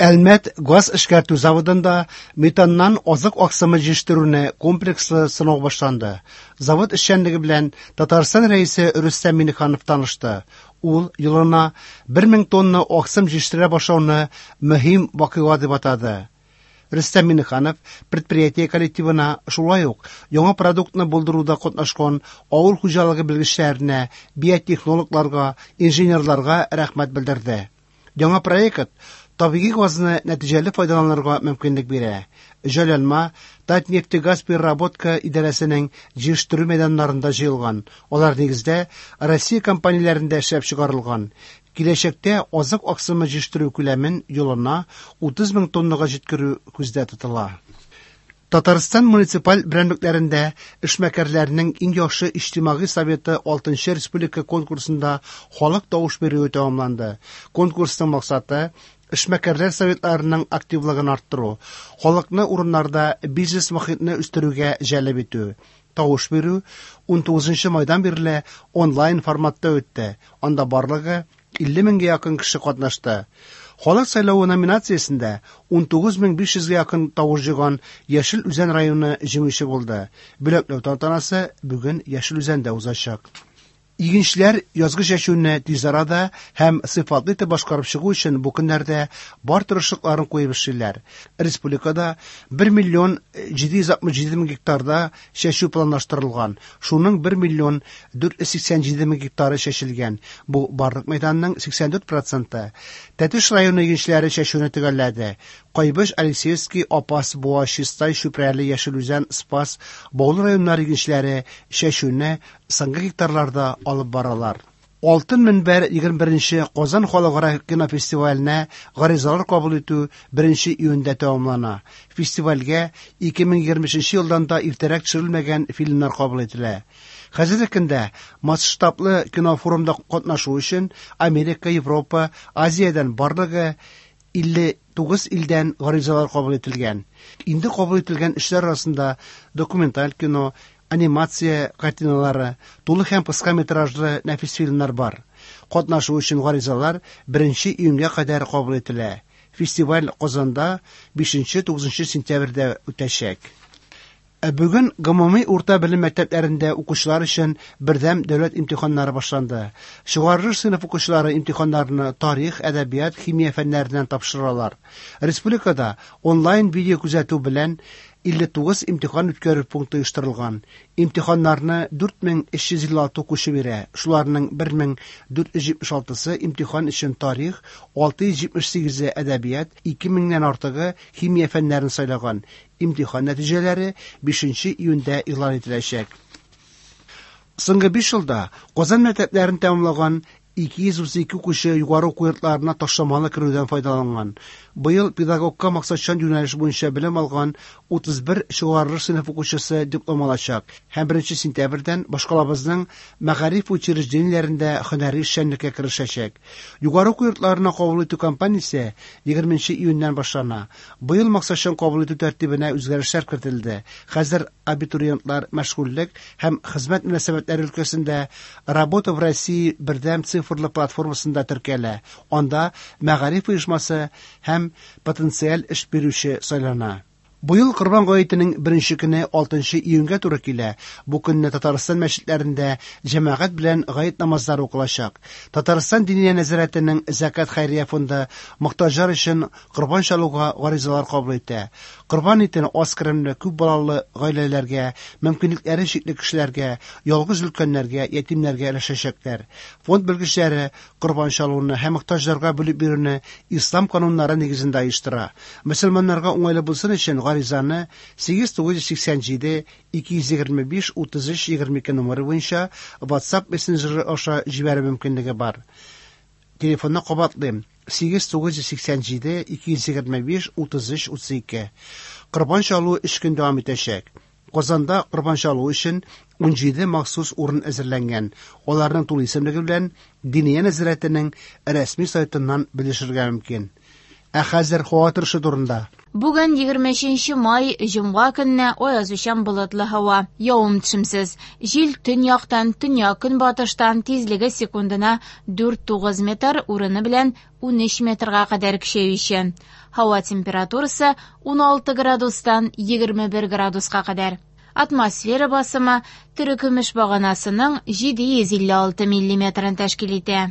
Әлмәт газ эшкәртү заводында метаннан азык аксымы җитештерүне комплекслы сынау башланды. Завод эшчәнлеге белән Татарстан Рәисе Рөстәм Миңнеханов танышты. Ул елына 1000 тонна аксым җитештерә башлауны мөһим вакыйга дип атады. Рөстәм Миңнеханов предприятие коллективына шулай ук яңа продуктны булдыруда катнашкан авыл хуҗалыгы белгечләренә, биотехнологларга, инженерларга рәхмәт белдерде. Яңа проект табигый газны нәтиҗәле файдаланырга мөмкинлек бирә. Җайланма Татнефтегазпереработка идарәсенең җитештерү мәйданнарында җыелган. Алар нигездә Россия компанияләрендә эшләп чыгарылган. Киләчәктә азык аксымы җитештерү күләмен елына 30 мең тоннага җиткерү күздә тотыла. Татарстан муниципаль берәмлекләрендә эшмәкәрләрнең иң яхшы иҗтимагый советы 6 республика конкурсында халык тавыш бирүе тәмамланды. Конкурсның максаты эшмәкәрләр советларының активлыгын арттыру, халыкны урыннарда бизнес мохитне үстерүгә җәлеп итү. Тавыш бирү 19 майдан бирле онлайн форматта үтте. Анда барлыгы 50 меңгә якын кеше катнашты. Халык сайлавы номинациясендә 19500 гә якын тавыш җыйган Яшел Үзән районы җиңүче булды. Бүләкләү тантанасы бүген Яшел Үзәндә узачак. Игенчеләр язгы чәчүне тиз арада һәм сыйфатлы итеп башкарып чыгу өчен бу көннәрдә бар тырышлыкларын куеп эшлиләр. Республикада 1 миллион 767 мең гектарда чәчү планлаштырылган. Шуның 1 миллион 487 мең гектары чәчелгән. Бу барлык мәйданның 84 проценты. Тәтеш районы игенчеләре чәчүне төгәлләде. Кайбыч, Алексеевский, Апас, Буа, Чистай, Чүпрәле, Яшел Үзән, Спас, Баулы районнары игенчеләре чәчүне соңгы гектарларда алып баралар. Алтын мөнбәр 21нче Казан халыкара кинофестиваленә гаризалар кабул итү 1 июньдә тәмамлана. Фестивальгә 2023 елдан да иртәрәк төшерелмәгән фильмнар кабул ителә. Хәзерге көндә масштаблы кинофорумда катнашу өчен Америка, Европа, Азиядән барлыгы 59 илдән гаризалар кабул ителгән. Инде кабул ителгән эшләр арасында документаль кино, анимация картиналары, тулы һәм кыска метражлы нәфис фильмнар бар. Катнашу өчен гаризалар 1 июньгә кадәр кабул ителә. Фестиваль Казанда 5-9 сентябрьдә үтәчәк. Ә бүген гомуми урта белем мәктәпләрендә укучылар өчен бердәм дәүләт имтиханнары башланды. Чыгарылыш сыйныф укучылары имтиханнарны тарих, әдәбият, химия фәннәреннән тапшыралар. Республикада онлайн видео күзәтү белән 59 имтихан үткәрү пункты оештырылган. Имтиханнарны 4356 укучы бирә. Шуларның 1476-сы имтихан өчен тарих, 678-е әдәбият, 2000-нән артыгы химия фәннәрен сайлаган. Имтихан нәтиҗәләре 5 июньдә игълан ителәчәк. Соңгы 5 елда Казан мәктәпләрен тәмамлаган 232 укучы югары уку йортларына ташламалы керүдән файдаланган. Быел педагогка максатчан юнәлеш буенча белем алган 31 чыгарылыш сыйныф укучысы диплом алачак һәм 1 сентябрьдән башкалабызның мәгариф учреждениеләрендә һөнәри эшчәнлеккә керешәчәк. Югары уку йортларына кабул итү кампаниясе 20 июньнән башлана. Быел максатчан кабул итү тәртибенә үзгәрешләр кертелде. Хәзер абитуриентлар мәшгульлек һәм хезмәт мөнәсәбәтләре өлкәсендә Работа в России бердәм цифрлы платформасында теркәлә. Анда мәгариф оешмасы һәм потенциаль эш бирүче сайлана. Быел Корбан гаетенең беренче көне 6 июньгә туры килә. Бу көнне Татарстан мәчетләрендә җәмәгать белән гает намазлары укылачак. Татарстан Диния нәзарәтенең Зәкят хәйрия фонды мохтаҗлар өчен корбан чалуга гаризалар кабул итә. Корбан итен аз керемле, күп балалы гаиләләргә, мөмкинлекләре чикле кешеләргә, ялгыз өлкәннәргә, ятимнәргә өләшәчәкләр. Фонд белгечләре корбан чалуны һәм мохтаҗларга бүлеп бирүне ислам кануннары нигезендә оештыра. Мөселманнарга уңайлы булсын өчен гаризаны 8987 225 33 22 номеры буенча WhatsApp мессенджеры аша җибәрү мөмкинлеге бар. Телефонны кабатлыйм: 8987 225 33 32. Корбан чалу 3 көн дәвам итәчәк. Казанда корбан чалу өчен 17 махсус урын әзерләнгән. Аларның тулы исемлеге белән Диния нәзарәтенең рәсми сайтыннан белешергә мөмкин. Ә хәзер һава торышы турында. Бүген 23 май, җомга көнне аязучан болытлы һава, явым-төшемсез. Җил төньяктан, төньяк-көнбатыштан, тизлеге секундына 4-9 метр, урыны белән 13 метрга кадәр көчәючән. Һава температурасы 16 градустан 21 градуска кадәр. Атмосфера басымы терекөмеш баганасының 756 миллиметрын тәшкил итә.